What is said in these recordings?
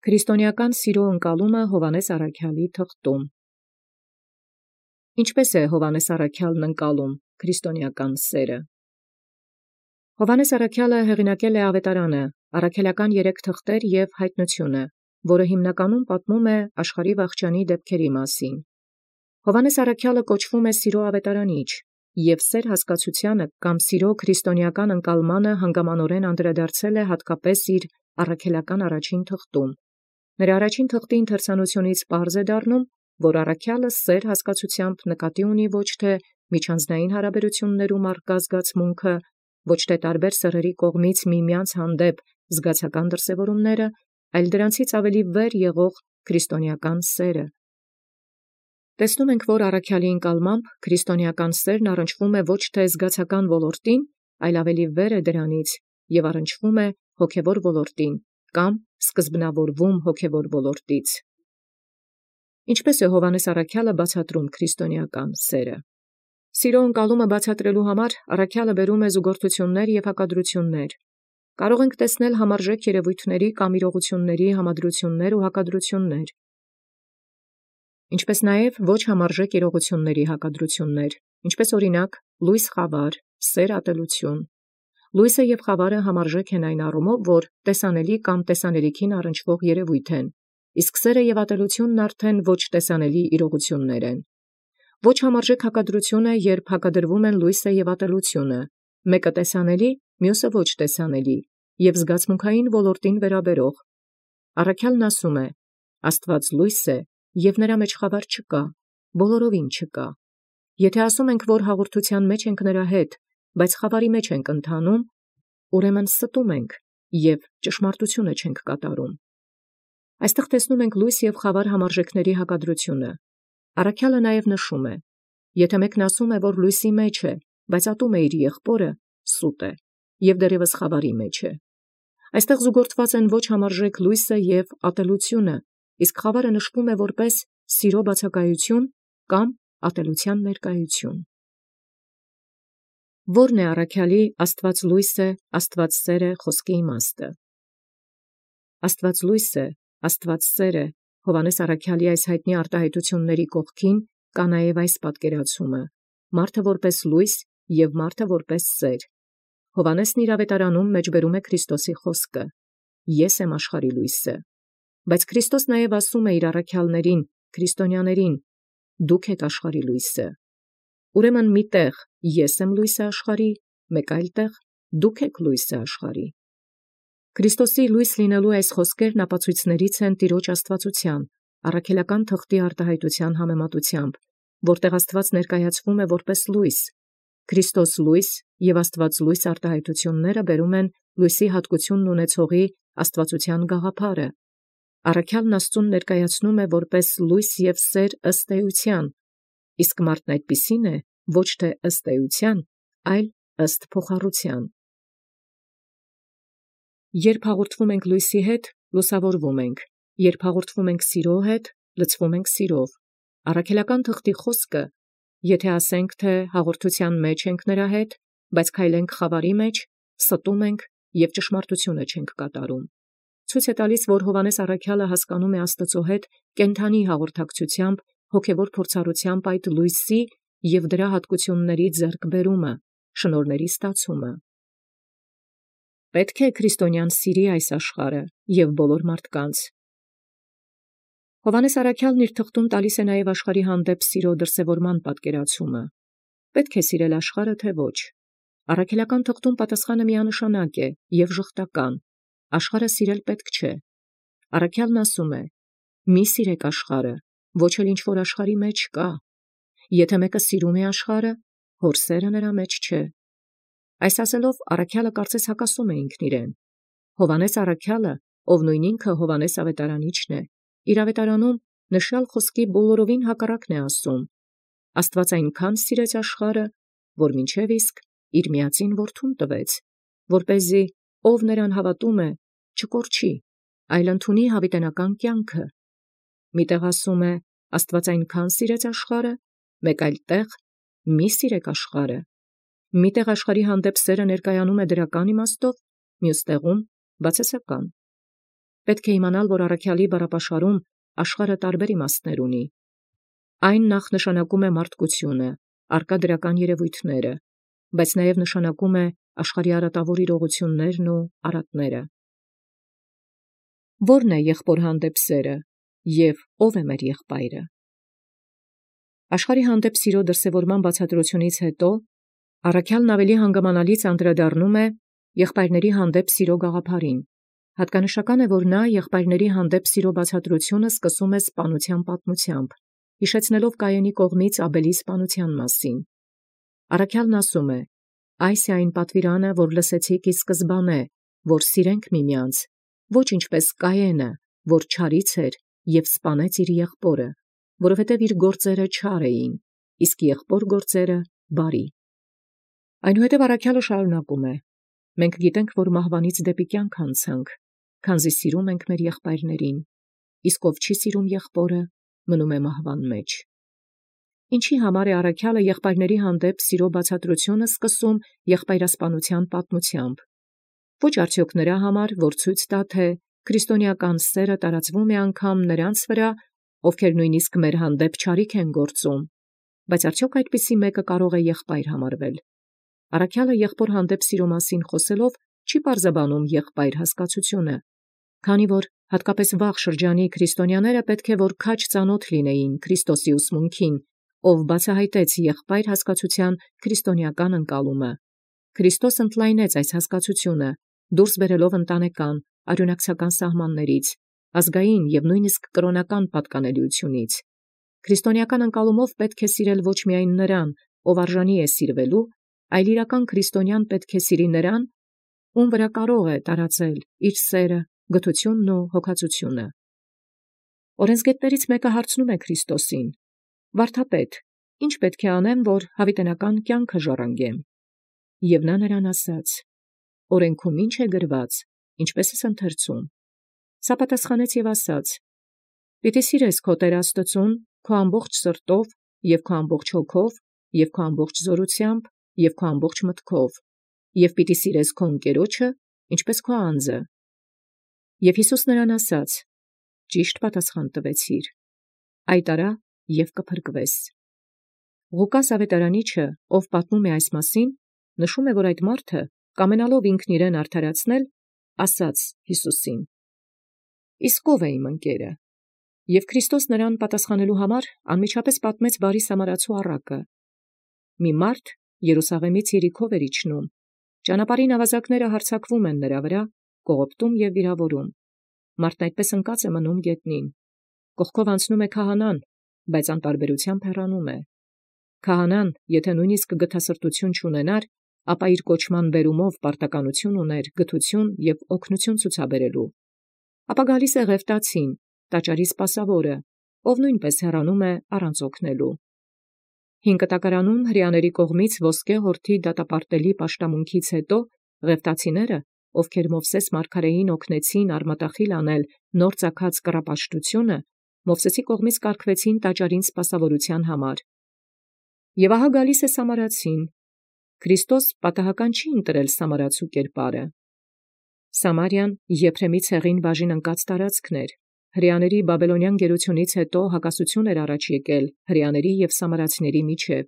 Քրիստոնեական սիրո ընկալումը Հովհաննես Առաքյալի թղթում։ Ինչպէս է Հովհաննես Առաքյալն ընկալում քրիստոնեական սերը։ Հովհաննես Առաքյալը հեղինակել է Ավետարանը, առաքելական 3 թղթեր և հայտնությունը, որը հիմնականում պատմում է աշխարհի վախճանի դեպքերի մասին։ Հովհաննես Առաքյալը կոչվում է սիրո ավետարանիչ, և սեր հասկացությանը կամ սիրո քրիստոնեական ընկալմանը հանգամանորեն անդրադարձել է հատկապես իր առաքելական առաջին թղթում։ Նրա առաջին թղթի ընթերցանությունից պարզ է դառնում, որ առաքյալը սեր հասկացությամբ նկատի ունի ոչ թե միջանձնային հարաբերություններում առկա զգացմունքը, ոչ թե տարբեր սեռերի կողմից միմյանց հանդեպ զգացական դրսևորումները, այլ դրանցից ավելի վեր եղող քրիստոնեական սերը։ Տեսնում ենք, որ առաքյալի ընկալմամբ քրիստոնեական սերն առնչվում է ոչ թե զգացական ոլորտին, այլ ավելի վեր է դրանից և առնչվում է հոգևոր ոլորտին կամ սկզբնավորվում հոգևոր ոլորտից։ Ինչպէս է Հովհաննես Առաքյալը բացատրում քրիստոնեական սերը։ Սիրո ընկալումը բացատրելու համար առաքյալը բերում է զուգորդություններ և հակադրություններ։ Կարող ենք տեսնել համարժեք երևույթների կամ իրողությունների համադրություններ ու հակադրություններ, ինչպես նաև ոչ համարժեք իրողությունների հակադրություններ, ինչպես օրինակ լույս խավար, սեր ատելություն։ Լույսը և խավարը համարժեք են այն առումով, որ տեսանելի կամ տեսանելիքին առնչվող երևույթ են, իսկ սերը և ատելությունն արդեն ոչ տեսանելի իրողություններ են։ Ոչ համարժեք հակադրություն է, երբ հակադրվում են լույսը և ատելությունը, մեկը տեսանելի, մյուսը ոչ տեսանելի, և զգացմունքային ոլորտին վերաբերող։ Առաքյալն ասում է. «Աստված լույս է, և նրա մեջ խավար չկա, բոլորովին չկա»։ Եթե ասում ենք, որ հաղորդության մեջ ենք նրա հետ, բայց խավարի մեջ ենք ընթանում, ուրեմն ստում ենք և ճշմարտությունը չենք կատարում։ Այստեղ տեսնում ենք լույս և խավար համարժեքների հակադրությունը։ Առաքյալը նաև նշում է. եթե մեկն ասում է, որ լույսի մեջ է, բայց ատում է իր եղբորը, սուտ է, և դեռևս խավարի մեջ է։ Այստեղ զուգորդված են ոչ համարժեք լույսը և ատելությունը, իսկ խավարը նշվում է որպես սիրո բացակայություն կամ ատելության ներկայություն։ Ո՞րն է առաքյալի «Աստված լույս է, Աստված սեր է» խոսքի իմաստը։ Աստված լույս է, Աստված սեր է Հովհաննես Առաքյալի այս հայտնի արտահայտությունների կողքին կա նաև այս պատկերացումը. մարդը որպես լույս և մարդը որպես սեր։ Հովհաննեսն իր ավետարանում մեջբերում է Քրիստոսի խոսքը. «Ես եմ աշխարհի լույսը»։ Բայց Քրիստոս նաև ասում է իր առաքյալներին, քրիստոնյաներին. «Դուք եք աշխարհի լույսը»։ Ուրեմն մի տեղ ես եմ լույսը աշխարհի, մեկ այլ տեղ դուք եք լույսը աշխարհի։ Քրիստոսի լույս լինելու այս խոսքերն ապացույցներից են Տիրոջ աստվածության, առաքելական թղթի արտահայտության համեմատությամբ, որտեղ Աստված ներկայացվում է որպես լույս։ Քրիստոս լույս և Աստված լույս արտահայտությունները բերում են լույսի հատկությունն ունեցողի աստվածության գաղափարը։ Առաքյալն Աստծուն ներկայացնում է որպես լույս և սեր ըստ էության, իսկ մարդն այդպիսին է ոչ թե ըստ էության, այլ ըստ փոխառության։ Երբ հաղորդվում ենք լույսի հետ, լուսավորվում ենք, երբ հաղորդվում ենք սիրո հետ, լցվում ենք սիրով։ Առաքելական թղթի խոսքը, եթե ասենք, թե հաղորդության մեջ ենք նրա հետ, բայց քայլենք խավարի մեջ, ստում ենք և ճշմարտությունը չենք կատարում։ Ցույց է տալիս, որ Հովհաննես Առաքյալը հասկանում է Աստծո հետ կենդանի հաղորդակցությամբ, հոգևոր փորձառությամբ այդ լույսի և դրա հատկությունների ձեռքբերումը, շնորհների ստացումը։ Պետք է քրիստոնյան սիրի այս աշխարհը և բոլոր մարդկանց։ Հովհաննես Առաքյալն իր թղթում տալիս է նաև աշխարհի հանդեպ սիրո դրսևորման պատկերացումը։ Պետք է սիրել աշխարհը, թե ոչ։ Առաքելական թղթում պատասխանը միանշանակ է և ժխտական. աշխարհը սիրել պետք չէ։ Առաքյալն ասում է. «Մի սիրեք աշխարհը, ոչ էլ ինչ որ աշխարհի մեջ կա։ Եթե մեկը սիրում է աշխարհը, հոր սերը նրա մեջ չէ»։ Այս ասելով առաքյալը կարծես հակասում է ինքն իրեն։ Հովհաննես Առաքյալը, ով նույն ինքը Հովհաննես ավետարանիչն է, իր ավետարանում նշյալ խոսքի բոլորովին հակառակն է ասում։ Աստված այնքան սիրեց աշխարհը, որ մինչև իսկ իր միածին որդուն տվեց, որպեսզի ով նրան հավատում է, չկորչի, այլ ընդունի հավիտենական կյանքը։ Մի տեղ ասում է. Աստված այնքան սիրեց աշխարհը, մեկ այլ տեղ մի սիրեք աշխարհը։ Մի տեղ աշխարհի հանդեպ սերը ներկայանում է դրական իմաստով, մյուս տեղում՝ բացասական։ պետք է իմանալ, որ առաքյալի բառապաշարում աշխարհը տարբեր իմաստներ ունի։ Այն նախ նշանակում է մարդկությունը, արկա դրական երևույթները, բայց նաև նշանակում է աշխարհի արատավոր իրողություններն ու արատները։ Ո՞րն է եղբոր հանդեպ սերը և ո՞վ է մեր եղբայրը։ Աշխարհի հանդեպ սիրո դրսևորման բացատրությունից հետո առաքյալն ավելի հանգամանալից անդրադառնում է եղբայրների հանդեպ սիրո գաղափարին։ Հատկանշական է, որ նա եղբայրների հանդեպ սիրո բացատրությունը սկսում է սպանության պատմությամբ, հիշեցնելով Կայենի կողմից Աբելի սպանության մասին։ Առաքյալն ասում է. «Այս է այն պատվիրանը, որ լսեցիք ի սկզբանե, որ սիրենք միմյանց, ոչ ինչպես Կայենը, որ չարից էր և սպանեց իր եղբորը, որովհետև իր գործերը չար էին, իսկ եղբոր գործերը բարի»։ Այնուհետև առաքյալը շարունակում է. «Մենք գիտենք, որ մահվանից դեպի կյանք անցանք, քանզի սիրում ենք մեր եղբայրներին, իսկ ով չի սիրում եղբորը, մնում է մահվան մեջ»։ Ինչի համար է առաքյալը եղբայրների հանդեպ սիրո բացատրությունը սկսում եղբայրասպանության պատմությամբ։ Ոչ արդյոք նրա համար, որ ցույց տա, թե քրիստոնեական սերը տարածվում է անգամ նրանց վրա, ովքեր նույնիսկ մեր հանդեպ չարիք են գործում, բայց արդյոք այդպիսի մեկը կարող է եղբայր համարվել։ Առաքյալը եղբոր հանդեպ սիրո մասին խոսելով չի պարզաբանում եղբայր հասկացությունը, քանի որ հատկապես վաղ շրջանի քրիստոնյաները պետք է որ քաջ ծանոթ լինեին Քրիստոսի ուսմունքին, ով բացահայտեց եղբայր հասկացության քրիստոնեական ընկալումը։ Քրիստոս ընդլայնեց այս հասկացությունը, դուրս բերելով ընտանեկան, արյունակցական սահմաններից, ազգային և նույնիսկ կրոնական պատկանելիությունից։ Քրիստոնեական ընկալումով պետք է սիրել ոչ միայն նրան, ով արժանի է սիրվելու, այլ իրական քրիստոնյան պետք է սիրի նրան, ում վրա կարող է տարածել իր սերը, գթությունն ու հոգածությունը։ Օրենսգետներից մեկը հարցնում է Քրիստոսին. «Վարդապետ, ի՞նչ պետք է անեմ, որ հավիտենական կյանքը ժառանգեմ»։ Եվ նա նրան ասաց. «Օրենքում ի՞նչ է գրված, ինչպես ես ընթերցում»։ Սա պատասխանեց և ասաց. «Պիտի սիրես քո Տեր Աստծուն քո ամբողջ սրտով և քո ամբողջ հոգով և քո ամբողջ զորությամբ և քո ամբողջ մտքով, և պիտի սիրես քո ընկերոջը, ինչպես քո անձը»։ Եվ Հիսուս նրան ասաց. «Ճիշտ պատասխան տվեցիր. այդ արա և կփրկվես»։ Ղուկաս ավետարանիչը, ով պատմում է այս մասին, նշում է, որ այդ մարդը, կամենալով ինքն իրեն արդարացնել, ասաց Հիսուսին. «Իսկ ո՞վ է իմ ընկերը»։ Եվ Քրիստոս նրան պատասխանելու համար անմիջապես պատմեց բարի սամարացու առակը։ Մի մարդ Երուսաղեմից Երիքով էր իջնում։ Ճանապարհին ավազակները հարձակվում են նրա վրա, կողոպտում և վիրավորում։ Մարդն այդպես ընկած է մնում գետնին։ Կողքով անցնում է քահանան, բայց անտարբերությամբ հեռանում է։ Քահանան, եթե նույնիսկ գթասրտություն չունենար, ապա իր կոչման բերումով պարտականություն ուներ գթություն և օգնություն ցուցաբերելու։ Ապա գալիս է Ղևտացին, տաճարի սպասավորը, ով նույնպես հեռանում է առանց օգնելու։ Հին կտակարանում հրեաների կողմից ոսկե հորթի դատապարտելի պաշտամունքից հետո ղևտացիները, ովքեր Մովսես մարգարեին օգնեցին արմատախիլ անել նոր ծագած կռապաշտությունը, Մովսեսի կողմից կարգվեցին տաճարին սպասավորության համար։ Եվ ահա գալիս է սամարացին։ Քրիստոս պատահական չի ընտրել սամարացու կերպարը։ Սամարիան Եփրեմի ցեղին բաժին ընկած տարածքն էր։ Հրեաների բաբելոնյան գերությունից հետո հակասություն էր առաջ եկել հրեաների և սամարացիների միջև,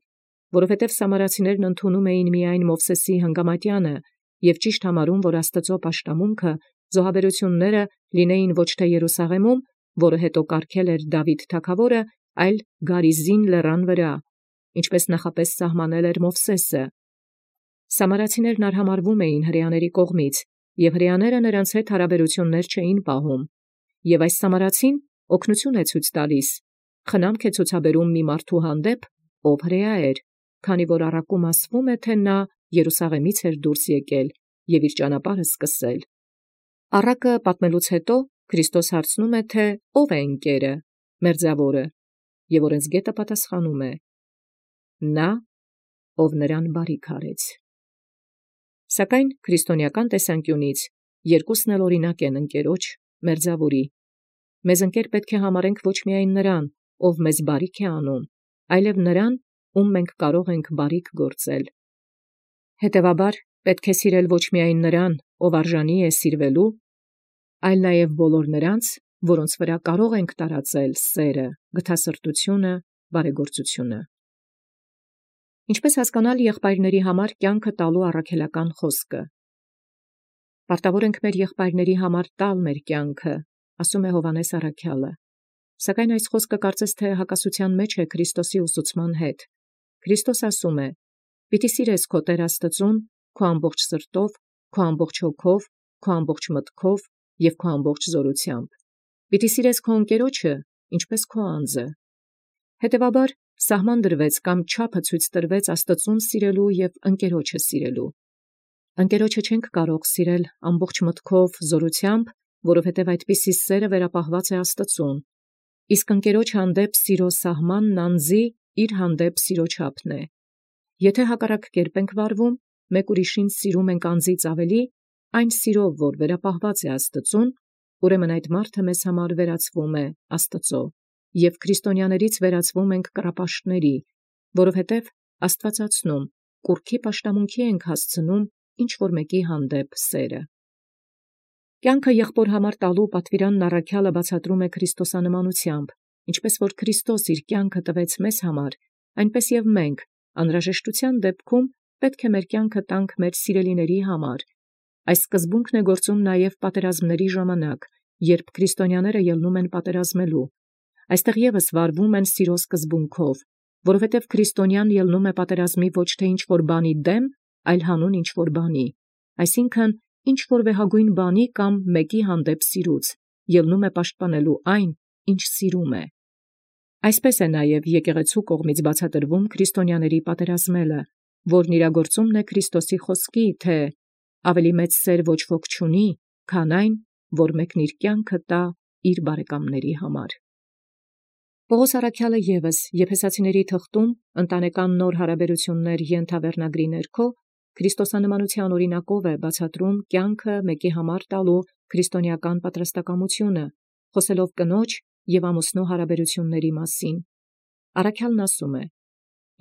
որովհետև սամարացիներն ընդունում էին միայն Մովսեսի հանգամատյանը և ճիշտ համարում, որ Աստծո պաշտամունքը, զոհաբերությունները լինեին ոչ թե Երուսաղեմում, որը հետո կարգել էր Դավիթ թագավորը, այլ Գարիզին լեռան վրա, ինչպես նախապես սահմանել էր Մովսեսը։ Սամարացիներն արհամարհվում էին հրեաների կողմից, և հրեաները նրանց հետ հարաբերություններ չէին պահում։ Եվ այս սամարացին օգնություն է ցույց տալիս, խնամք է ցուցաբերում մի մարդու հանդեպ, ով հրեա էր, քանի որ առակում ասվում է, թե նա Երուսաղեմից էր դուրս եկել և իր ճանապարհը սկսել։ Առակը պատմելուց հետո Քրիստոս հարցնում է, թե ո՞վ է ընկերը, մերձավորը, և օրենսգետը պատասխանում է. «Նա, ով նրան բարիք արեց»։ Սակայն քրիստոնեական տեսանկյունից երկուսն էլ օրինակ են ընկերոջ, մերձավորի։ Մեզ ընկեր պետք է համարենք ոչ միայն նրան, ով մեզ բարիք է անում, այլև նրան, ում մենք կարող ենք բարիք գործել։ Հետևաբար պետք է սիրել ոչ միայն նրան, ով արժանի է սիրվելու, այլ նաև բոլոր նրանց, որոնց վրա կարող ենք տարածել սերը, գթասրտությունը, բարեգործությունը։ Ինչպես հասկանալ եղբայրների համար կյանքը տալու առաքելական խոսքը։ Պարտավոր ենք մեր եղբայրների համար տալ մեր կյանքը, ասում է Հովհաննես առաքյալը։ Սակայն այս խոսքը կարծես թե հակասության մեջ է Քրիստոսի ուսուցման հետ։ Քրիստոս ասում է. «Պիտի սիրես քո Տեր Աստծուն քո ամբողջ սրտով, քո ամբողջ հոգով, քո ամբողջ մտքով և քո ամբողջ զորությամբ։ Պիտի սիրես քո ընկերոջը, ինչպես քո անձը»։ Հետևաբար, սահման դրվեց կամ չափը ցույց տրվեց Աստծուն սիրելու և ընկերոջը սիրելու։ Ընկերոջը չենք կարող սիրել ամբողջ մտքով, զորությամբ, որովհետև այդպիսի սերը վերապահված է Աստծուն։ Իսկ ընկերոջ հանդեպ սիրո սահմանն անձի իր հանդեպ սիրո չափն է։ Եթե հակառակ կերպ ենք վարվում, մեկ ուրիշին սիրում ենք անձից ավելի, այն սիրով, որ վերապահված է Աստծուն, ուրեմն այդ մարդը մեզ համար վերածվում է Աստծո, և քրիստոնյաներից վերածվում ենք կռապաշտների, որովհետև աստվածացնում, կուռքի պաշտամունքի ենք հասցնում ինչ-որ մեկի հանդեպ սերը։ Կյանքը եղբոր համար տալու պատվիրանն առաքյալը բացատրում է քրիստոսանմանությամբ, ինչպես որ Քրիստոս իր կյանքը տվեց մեզ համար, այնպես և մենք, անհրաժեշտության դեպքում, պետք է մեր կյանքը տանք մեր սիրելիների համար։ Այս սկզբունքն է գործում նաև պատերազմների ժամանակ, երբ քրիստոնյաները ելնում են պատերազմելու։ Այստեղ ևս վարվում են սիրո սկզբունքով, որովհետև քրիստոնյան ելնում է պատերազմի ոչ թե ինչ-որ բանի դեմ, այլ հանուն ինչ-որ բանի, այսինքն ինչ-որ վեհագույն բանի կամ մեկի հանդեպ սիրուց, ելնում է պաշտպանելու այն, ինչ սիրում է։ Այսպես է նաև եկեղեցու կողմից բացատրվում քրիստոնյաների պատերազմելը, որն իրագործումն է Քրիստոսի խոսքի, թե ավելի մեծ սեր ոչ ոք չունի, քան այն, որ մեկն իր կյանքը տա իր բարեկամների համար։ Պողոս առաքյալը ևս Եփեսացիների թղթում ընտանեկան նոր հարաբերություններ ենթավերնագրի ներքո քրիստոսանմանության օրինակով է բացատրում կյանքը մեկի համար տալու քրիստոնեական պատրաստակամությունը, խոսելով կնոջ և ամուսնու հարաբերությունների մասին։ Առաքյալն ասում է.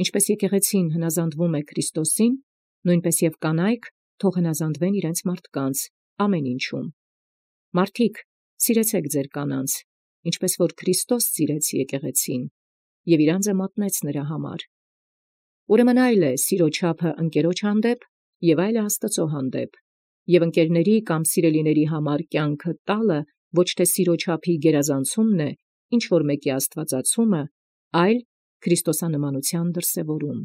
«Ինչպես եկեղեցին հնազանդվում է Քրիստոսին, նույնպես և կանայք թող հնազանդվեն իրենց մարդկանց ամեն ինչում։ Մարդիկ, սիրեցեք ձեր կանանց, ինչպես որ Քրիստոս սիրեց եկեղեցին և իր անձը մատնեց նրա համար։ Ուրեմն այլ է սիրո չափը ընկերոջ հանդեպ և այլ է Աստծո հանդեպ, և ընկերների կամ սիրելիների համար կյանքը տալը ոչ թե սիրո չափի գերազանցումն է, ինչ որ մեկի աստվածացումը, այլ քրիստոսանմանության դրսևորում»։